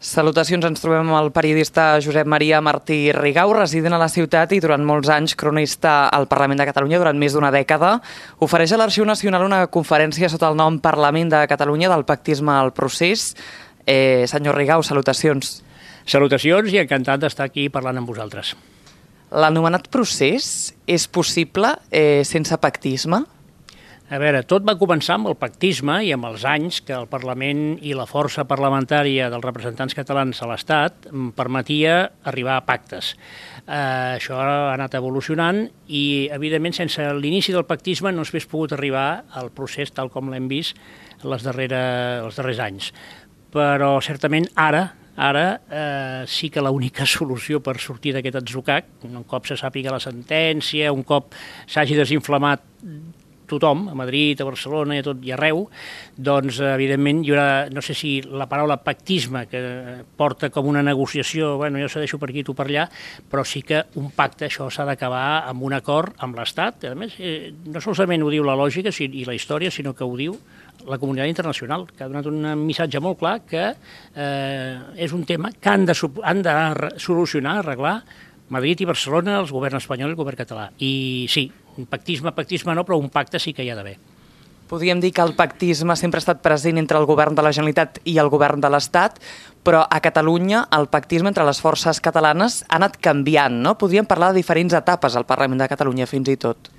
Salutacions, ens trobem amb el periodista Josep Maria Martí Rigau, resident a la ciutat i durant molts anys cronista al Parlament de Catalunya durant més d'una dècada. Ofereix a l'Arxiu Nacional una conferència sota el nom Parlament de Catalunya del pactisme al procés. Senyor Rigau, salutacions. Salutacions i encantat d'estar aquí parlant amb vosaltres. L'anomenat procés és possible sense pactisme? A veure, tot va començar amb el pactisme i amb els anys que el Parlament i la força parlamentària dels representants catalans a l'Estat permetia arribar a pactes. Això ha anat evolucionant i, evidentment, sense l'inici del pactisme no s'hagués pogut arribar al procés tal com l'hem vist els darrers anys. Però, certament, ara sí que l'única solució per sortir d'aquest atzucac, un cop se sàpiga la sentència, un cop s'hagi desinflamat tothom, a Madrid, a Barcelona i a tot i arreu, doncs, evidentment, hi haurà, no sé si la paraula pactisme, que porta com una negociació, bueno, jo cedeixo per aquí, tu per allà, però sí que un pacte, això s'ha d'acabar amb un acord amb l'Estat. A més, no solament ho diu la lògica i la història, sinó que ho diu la comunitat internacional, que ha donat un missatge molt clar que és un tema que han de solucionar, arreglar Madrid i Barcelona, el govern espanyol i el govern català. I sí, pactisme no, però un pacte sí que hi ha d'haver. Podríem dir que el pactisme sempre ha estat present entre el govern de la Generalitat i el govern de l'Estat, però a Catalunya el pactisme entre les forces catalanes ha anat canviant, no? Podríem parlar de diferents etapes al Parlament de Catalunya, fins i tot.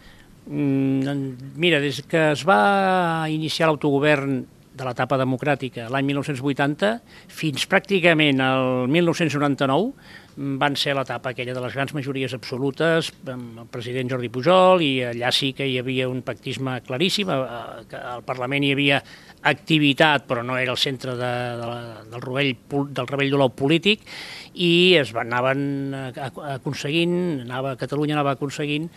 Mira, des que es va iniciar l'autogovern de l'etapa democràtica l'any 1980 fins pràcticament al 1999 van ser l'etapa aquella de les grans majories absolutes amb el president Jordi Pujol, i allà sí que hi havia un pactisme claríssim, al Parlament hi havia activitat però no era el centre del rovell d'olor polític, i anaven aconseguint, Catalunya anava aconseguint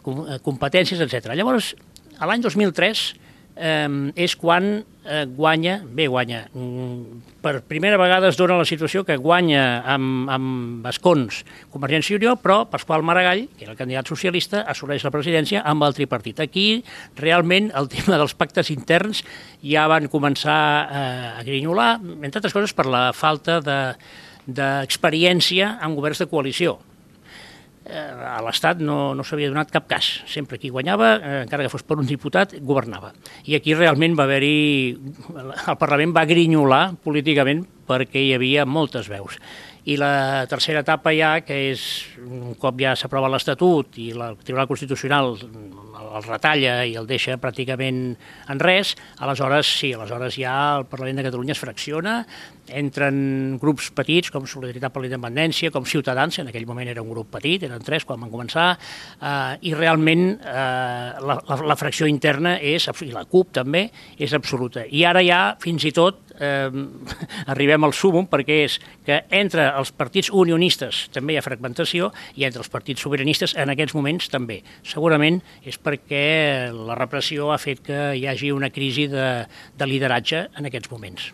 competències, etc. Llavors, a l'any 2003 és quan guanya, per primera vegada es dona la situació que guanya amb escons Convergència i Unió, però Pasqual Maragall, que era el candidat socialista, assoleix la presidència amb el tripartit. Aquí, realment, el tema dels pactes interns ja van començar a grinyolar, entre altres coses per la falta d'experiència en governs de coalició. A l'Estat no s'havia donat cap cas. Sempre qui guanyava, encara que fos per un diputat, governava. I aquí realment va haver-hi... El Parlament va grinyolar políticament perquè hi havia moltes veus. I la tercera etapa ja, que és un cop ja s'aprova l'Estatut i el Tribunal Constitucional el retalla i el deixa pràcticament en res, aleshores ja el Parlament de Catalunya es fracciona, entren grups petits com Solidaritat per la Independència, com Ciutadans, en aquell moment era un grup petit, eren 3 quan van començar, i realment la fracció interna i la CUP també és absoluta. I ara ja, fins i tot, arribem al súmmum, perquè és que entre els partits unionistes també hi ha fragmentació i entre els partits sobiranistes en aquests moments també. Segurament és perquè la repressió ha fet que hi hagi una crisi de lideratge en aquests moments.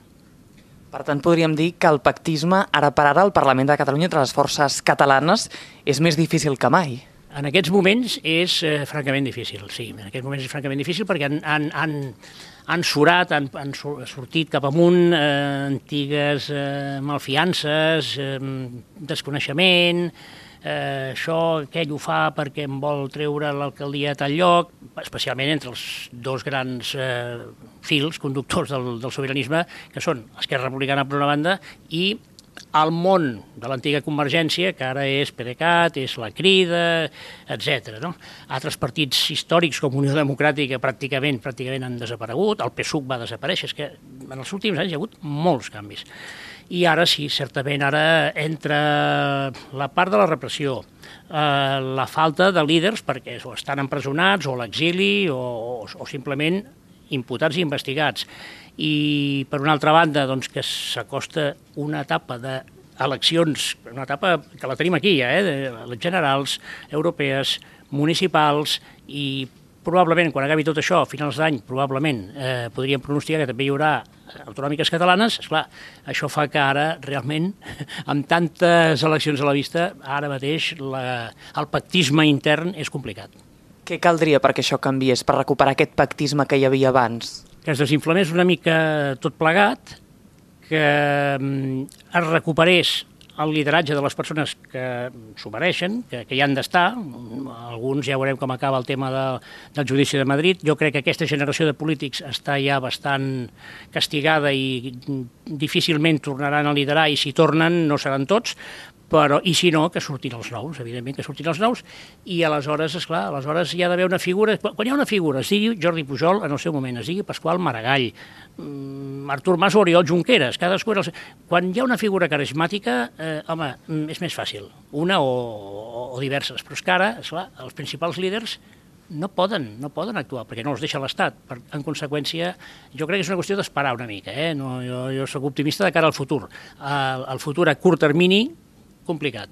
Per tant, podríem dir que el pactisme, ara per ara, al Parlament de Catalunya entre les forces catalanes és més difícil que mai. En aquests moments és francament difícil, sí. En aquests moments és francament difícil perquè han sortit cap amunt antigues malfiances, desconeixement, aquell ho fa perquè em vol treure l'alcaldia a tal lloc, especialment entre els dos grans fils conductors del sobiranisme, que són Esquerra Republicana per una banda i el món de l'antiga Convergència, que ara és PDeCAT, és la Crida, etc. Altres partits històrics com Unió Democràtica pràcticament han desaparegut, el PSUC va desaparèixer, és que en els últims anys hi ha hagut molts canvis. I ara sí, certament, ara entra la part de la repressió, la falta de líders perquè o estan empresonats o a l'exili o simplement imputats i investigats. I, per una altra banda, que s'acosta una etapa d'eleccions, una etapa que la tenim aquí ja, les generals, europees, municipals, i probablement, quan acabi tot això, a finals d'any, probablement podríem pronosticar que també hi haurà autonòmiques catalanes. Esclar, això fa que ara, realment, amb tantes eleccions a la vista, ara mateix el pactisme intern és complicat. Què caldria perquè això canviés, per recuperar aquest pactisme que hi havia abans? Que es desinflamés una mica tot plegat, que es recuperés el lideratge de les persones que s'ho mereixen, que hi han d'estar. Alguns ja veurem com acaba el tema del judici de Madrid. Jo crec que aquesta generació de polítics està ja bastant castigada i difícilment tornaran a liderar, i si tornen no seran tots, però, i si no, que surtin els nous, evidentment que surtin els nous, i aleshores, esclar, aleshores hi ha d'haver una figura, quan hi ha una figura, es digui Jordi Pujol en el seu moment, es digui Pasqual Maragall, Artur Mas o Oriol Junqueras, cadascú era quan hi ha una figura carismàtica, home, és més fàcil, una o diverses, però és que ara, esclar, els principals líders no poden actuar, perquè no els deixa l'Estat. En conseqüència, jo crec que és una qüestió d'esperar una mica. No, jo soc optimista de cara al futur. El futur a curt termini, complicat.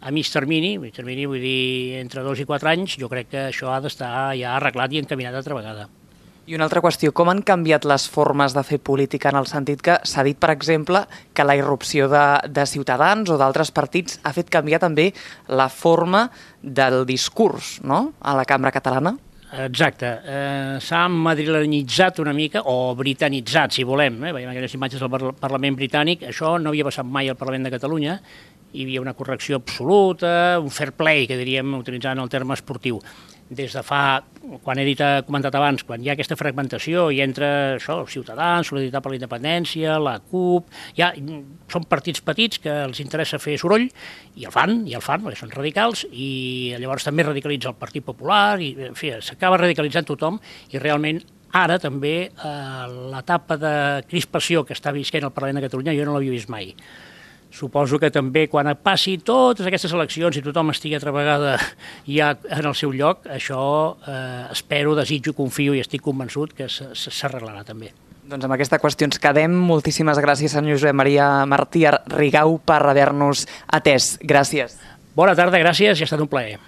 A mig termini, vull dir, entre 2 i 4 anys, jo crec que això ha d'estar ja arreglat i encaminat altra vegada. I una altra qüestió, com han canviat les formes de fer política, en el sentit que s'ha dit, per exemple, que la irrupció de Ciutadans o d'altres partits ha fet canviar també la forma del discurs, no?, a la cambra catalana? Exacte. S'ha madrilenitzat una mica, o britanitzat, si volem. Veiem aquelles imatges del Parlament britànic. Això no havia passat mai al Parlament de Catalunya. Hi havia una correcció absoluta, un fair play, que diríem, utilitzant el terme esportiu. Des de fa, quan he comentat abans, quan hi ha aquesta fragmentació i entra això, Ciutadans, Solidaritat per la Independència, la CUP, ja són partits petits que els interessa fer soroll i el fan, perquè són radicals, i llavors també radicalitza el Partit Popular, i en fi, s'acaba radicalitzant tothom, i realment ara també l'etapa de crispació que està visquent el Parlament de Catalunya jo no l'havia vist mai. Suposo que també quan passi totes aquestes eleccions i tothom estigui altra vegada ja en el seu lloc, això espero, desitjo, confio i estic convençut que s'arreglarà també. Doncs amb aquesta qüestió ens quedem. Moltíssimes gràcies, senyor Josep Maria Martí Rigau, per haver-nos atès. Gràcies. Bona tarda, gràcies i ha estat un plaer.